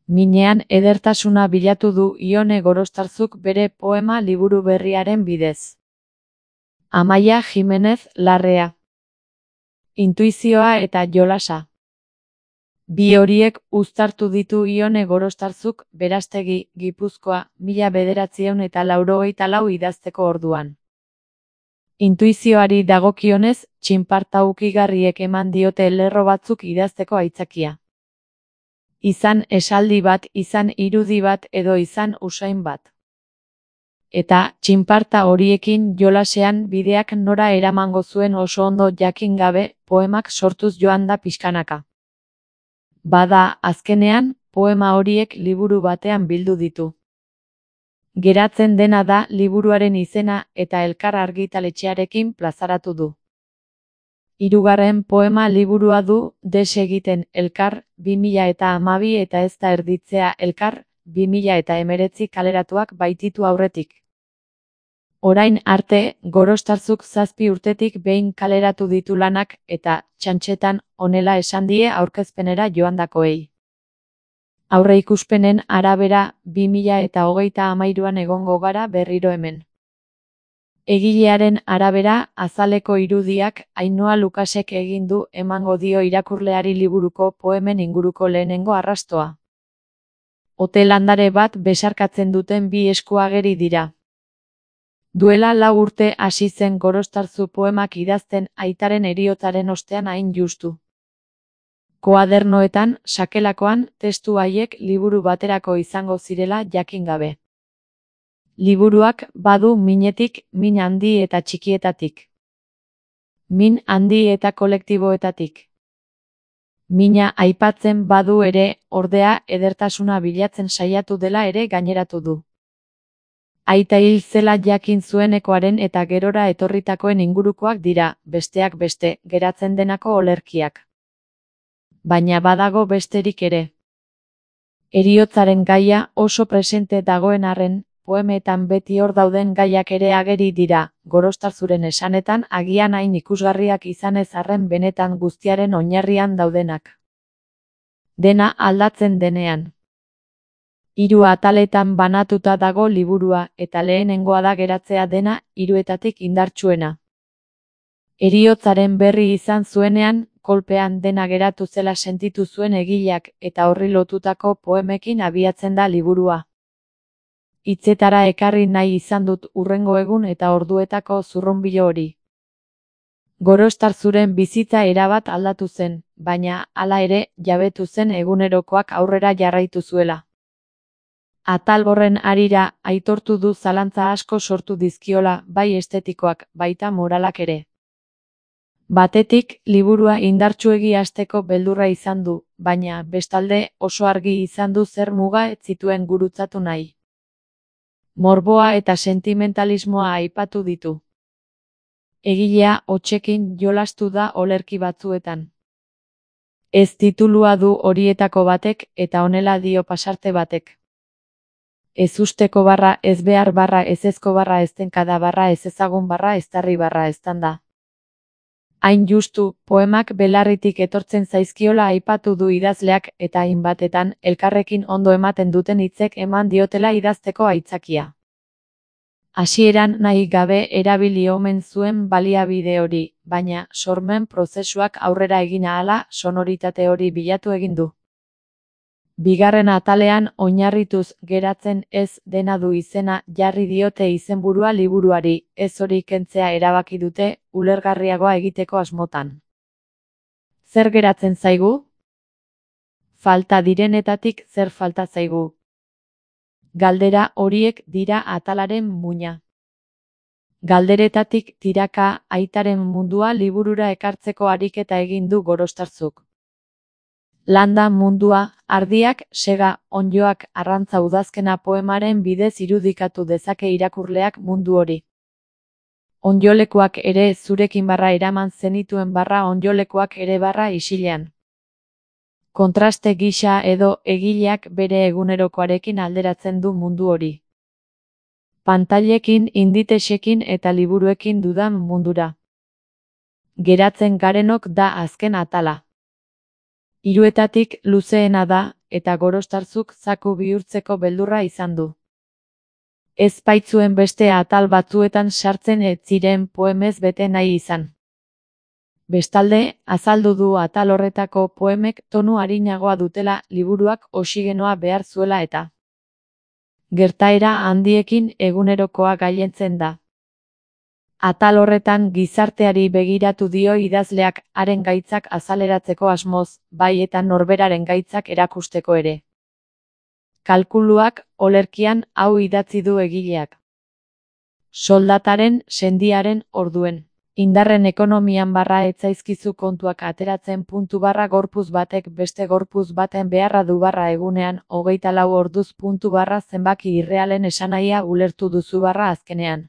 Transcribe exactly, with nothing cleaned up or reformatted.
Minean edertasuna bilatu du Ione Gorostarzuk bere poema liburu berriaren bidez. Amaia Jimenez Larrea. Intuizioa eta jolasa. Bi horiek uztartu ditu Ione Gorostarzuk Berastegi, Gipuzkoa, mila bederatziehun eta laurogeita lau idazteko orduan. Intuizioari dagokionez, txinparta ukigarriek eman diote lerro batzuk idazteko aitzakia. Izan esaldi bat, izan irudi bat edo izan usain bat. Eta, txinparta horiekin jolasean bideak nora eramango zuen oso ondo jakin gabe, poemak sortuz joan da pixkanaka. Bada, azkenean, poema horiek liburu batean bildu ditu. Geratzen dena da liburuaren izena eta Elkar argitaletxearekin plazaratu du. Hirugarren poema liburua du Desegiten Elkar, bi mila eta hamabi eta Ez da erditzea Elkar, bi mila eta hemeretzi kaleratuak baititu aurretik. Orain arte, Gorostarzuk zazpi urtetik behin kaleratu ditu lanak eta, txantxetan, honela esan die aurkezpenera joandakoei. Aurreikuspenen arabera, bi mila eta hogeita hamairuan egongo gara berriro hemen. Egilearen arabera, azaleko irudiak Ainhoa Lukasek egin du emango dio irakurleari liburuko poemen inguruko lehenengo arrastoa. Ote landare bat besarkatzen duten bi esku ageri dira. Duela lau urte hasi zen Gorostarzu poemak idazten aitaren heriotzaren ostean hain justu. Koadernoetan, sakelakoan, testu haiek liburu baterako izango zirela jakin gabe. Liburuak badu minetik, min handi eta txikietatik. Min handi eta kolektiboetatik. Mina aipatzen badu ere, ordea, edertasuna bilatzen saiatu dela ere gaineratu du. Aita hil zela jakin zuenekoaren eta gerora etorritakoen ingurukoak dira, besteak beste, geratzen denako olerkiak. Baina badago besterik ere. Heriotzaren gaia oso presente dagoen arren, poemetan beti hor dauden gaiak ere ageri dira, Gorostarzuren esanetan agian hain ikusgarriak izanez arren benetan guztiaren oinarrian daudenak. Dena aldatzen denean. Hiru ataletan banatuta dago liburua eta lehenengoa da geratzea dena hiruetatik indartsuena. Heriotzaren berri izan zuenean, kolpean dena geratu zela sentitu zuen egileak eta horri lotutako poemekin abiatzen da liburua. Hitzetara ekarri nahi izan dut hurrengo egun eta orduetako zurrunbilo hori. Gorostarzuren bizitza erabat aldatu zen, baina, hala ere, jabetu zen egunerokoak aurrera jarraitu zuela. Atal horren harira, aitortu du zalantza asko sortu dizkiola, bai estetikoak, baita moralak ere. Batetik, liburua indartsuegi hasteko beldurra izan du, baina, bestalde, oso argi izan du zer muga ez zituen gurutzatu nahi. Morboa eta sentimentalismoa aipatu ditu. Egilea hotsekin jolastu da olerki batzuetan. Ez titulua du horietako batek eta honela dio pasarte batek. Ez usteko barra, ez behar barra, ez ezko barra, ez tenkada barra, ez ezagun barra, ez tarri barra, ez tanda. Hain justu, poemak belarritik etortzen zaizkiola aipatu du idazleak eta hainbatetan elkarrekin ondo ematen duten hitzek eman diotela idazteko aitzakia. Hasieran nahi gabe erabili omen zuen baliabide hori, baina sormen prozesuak aurrera egin ahala sonoritate hori bilatu egin du. Bigarren atalean oinarrituz geratzen ez dena du izena jarri diote izenburua liburuari, ez hori kentzea erabaki dute ulergarriagoa egiteko asmotan. Zer geratzen zaigu? Falta direnetatik zer falta zaigu? Galdera horiek dira atalaren muina. Galderetatik tiraka aitaren mundua liburura ekartzeko ariketa egin du Gorostarzuk. Landa mundua, ardiak, sega, onddoak, arrantza udazkena poemaren bidez irudikatu dezake irakurleak mundu hori. Ondolekuak ere zurekin barra eraman zenituen barra ondolekuak ere barra isilean. Kontraste gisa edo egileak bere egunerokoarekin alderatzen du mundu hori. Pantailekin, inditexekin eta liburuekin dudan mundura. Geratzen garenok da azken atala. Hiruetatik luzeena da, eta Gorostarzuk zaku bihurtzeko beldurra izan du. Ez baitzuen beste atal batzuetan sartzen ez ziren poemez bete nahi izan. Bestalde, azaldu du atal horretako poemek tonu arinagoa dutela liburuak oxigenoa behar zuela eta gertaera handiekin egunerokoa gailentzen da. Atal horretan gizarteari begiratu dio idazleak haren gaitzak azaleratzeko asmoz, bai eta norberaren gaitzak erakusteko ere. Kalkuluak, olerkian, hau idatzi du egileak. Soldataren, sendiaren, orduen. Indarren ekonomian barra etzaizkizu kontuak ateratzen puntu barra gorpuz batek beste gorpuz baten beharra du barra egunean, hogeita lau orduz puntu barra zenbaki irrealen esanahia ulertu duzu barra azkenean.